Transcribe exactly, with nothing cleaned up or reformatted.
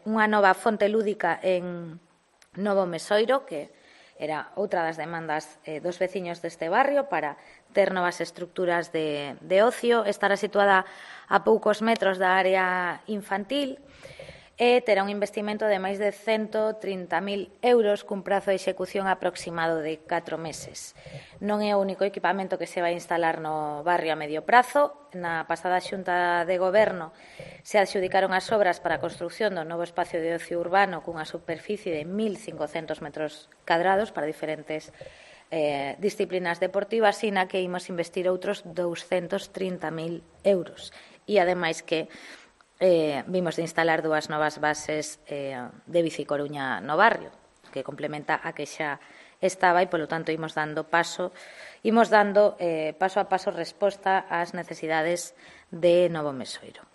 unha nova fonte lúdica en Novo Mesoiro, que era outra das demandas eh, dos veciños deste barrio para ter novas estructuras de, de ocio. Estará situada a poucos metros da área infantil e terá un investimento de máis de cento trinta mil euros cun prazo de execución aproximado de catro meses. Non é o único equipamento que se vai instalar no barrio a medio prazo. Na pasada xunta de goberno se adxudicaron as obras para a construción do novo espacio de ocio urbano cunha superficie de mil cincocentos metros cadrados para diferentes eh, disciplinas deportivas, e na que imos investir outros douscentos trinta mil euros. E, ademais, que Eh, vimos de instalar dúas novas bases eh, de Bici Coruña no barrio, que complementa a que xa estaba, e, polo tanto, imos dando paso, imos dando eh, paso a paso resposta ás necesidades de Novo Mesoiro.